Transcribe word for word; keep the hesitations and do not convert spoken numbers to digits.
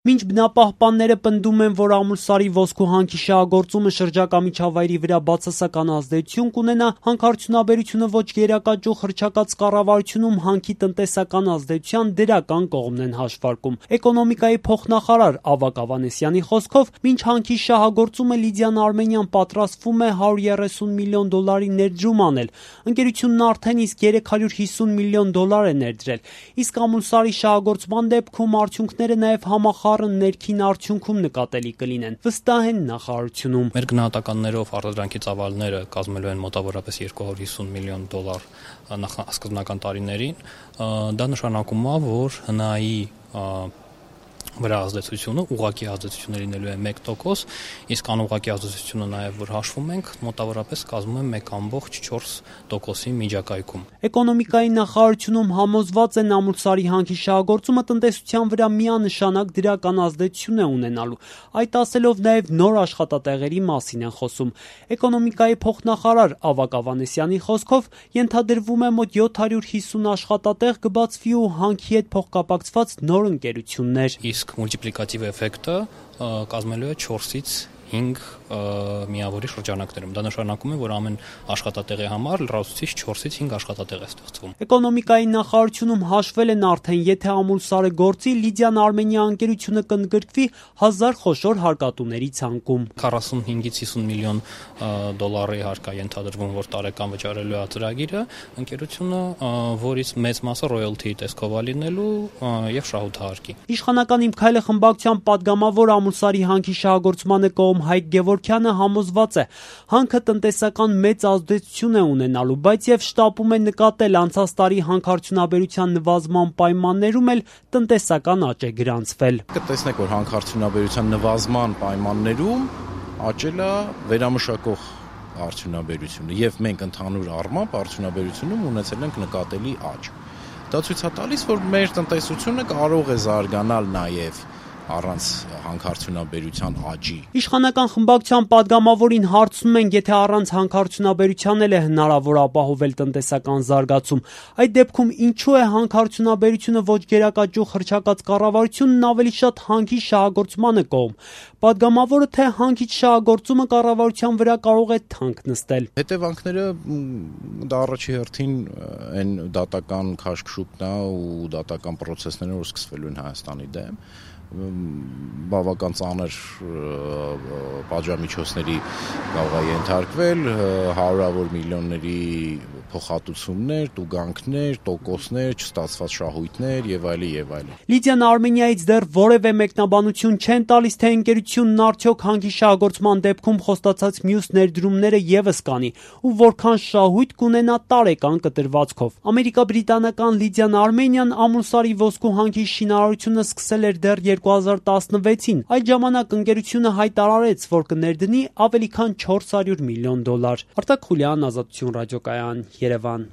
Մինչ բնապահպանները պնդում են, որ ամուլսարի ոսկու հանքի շահագործումը շրջակա միջավայրի վրա բացասական ազդեցություն կունենա, հանքարդյունաբերությունը ոչ գերակաճուղ հռչակած կառավարությունում հանքի տնտեսական ազդեցության դրական կողմն են հաշվարկում։ Էկոնոմիկայի փոխնախարար Ավագ Ավանեսյանի խոսքով, մինչ հանքի շահագործումը Լիդիան Արմենիան պատրաստվում է հարյուր երեսուն միլիոն դոլարի ներդրում անել, ընկերությունն արդեն իսկ երեք հարյուր հիսուն միլիոն դոլար է ներդրել, իսկ ամուլսարի շահագործման դեպքում արդյունքները նաև համախառն ներքին արդյունքում նկատելի կլինեն, վստահ են նախարարությունում։ Մեր գնահատականներով արտադրանքի ծավալները կազմելու են մոտավորապես երկու հարյուր հիսուն միլիոն դոլար նախասկզբնական տարիներին, դա նշանակում է, որ հնայի վրա ազդեցությունը ուղղակի ազդեցությունը լինելու է մեկ տոկոս, իսկ անուղղակի ազդեցությունը նաև որ հաշվում ենք, մոտավորապես կազմում է մեկ կόμma չորս տոկոսի միջակայքում։ Էկոնոմիկայի նախարարությունում համոզված են ամուլսարի հանքի շահագործումը տնտեսության վրա միանշանակ դրական ազդեցություն է ունենալու։ Այդ ասելով նաև նոր աշխատատեղերի մասին են խոսում։ Էկոնոմիկայի փոխնախարար Ավագ Ավանեսյանի խոսքով ենթադրվում է մոտ յոթ հարյուր հիսուն աշխատատեղ կբացվի ու հանքի հետ փոխկապակցված նոր ընկերություններ։ Իսկ մուլտիպլիկատիվ էֆեկտը կազմելու է չորսից հինգ միավորի շրջանակներում։ Դա նշանակում է, որ ամեն աշխատատեղի համար լրացուցիչ չորսից հինգ աշխատատեղ է ստեղծվում։ Էկոնոմիկայի նախարարությունում հաշվել են արդեն, եթե ամուլսարը գործի, Լիդիան Արմենիա ընկերությունը կընդգրկվի հազար խոշոր հարկատուների ցանկում։ քառասունհինգից հիսուն միլիոն դոլարի հարկ է ենթադրվում, որ տարեկան վճարելու է ծրագիրը, ընկերությունը, որից մեծ մասը ռոյալթիի տեսքով է լինելու եւ շահութահարկի։ Իշխանական Իմ Քայլը խմբակցության падգամավոր ամուլսարի հանքի շահագործմանը կողմ Հայկ Գևորգյանը համոզված է, հանքը տնտեսական մեծ ազդեցություն է ունենալու, բայց եւ շտապում է նկատել անցած տարի հանքարդյունաբերության նվազման պայմաններում էլ տնտեսական աճ է գրանցվել։ Կտեսնեք, որ հանքարդյունաբերության նվազման պայմաններում աճել է վերամշակող արդյունաբերությունը եւ մենք ընդհանուր առմամբ արդյունաբերությունում ունեցել ենք նկատելի աճ։ Դա ցույց է տալիս, որ մեր տնտեսությունը կարող է զարգանալ նաեւ առանց հանքարդյունաբերության աճի։ Իշխանական խմբակցության падգամավորին հարցնում են, եթե առանց հանքարդյունաբերության էլ է հնարավոր ապահովել տնտեսական զարգացում, այդ դեպքում ինչու է հանքարդյունաբերությունը ոչ գերակաճուղ հռչակած կառավարությունն ավելի շատ հանքի շահագործմանը կողմ։ Падգամավորը թե հանքից շահագործումը կառավարության վրա կարող է թանկ նստել։ Հետևանքները դա առաջի հերթին այն դատական քաշքշուկն է ու դատական process-ները, որ սկսվելու են Հայաստանի դեմ, բավական ծանր պատժամիջոցների կարող է ենթարկվել, հարյուրավոր միլիոնների փոխհատուցումներ, տուգանքներ, տոկոսներ, չստացված շահույթներ եւ այլն եւ այլն։ Լիդիան Արմենիայից դեռ որևէ մեկնաբանություն չեն տալիս, թե ընկերությունն արդյոք հանքի շահագործման դեպքում խոստացած մյուս ներդրումները եւս կանի ու որքան շահույթ կունենա տարեկան կտրվածքով։ Ամերիկա-բրիտանական Լիդիան Արմենիան ամուլսարի ոսկու հանքի շինարարությունը սկսել էր դեռ երկու հազար տասնվեցին։ Այդ ժամանակ ընկերությունը հայտարարեց, որ կներդնի ավելի քան չորս հարյուր միլիոն դոլար։ Արտակ Խուլյան, Ազատություն ռադիոկայան, Երևան։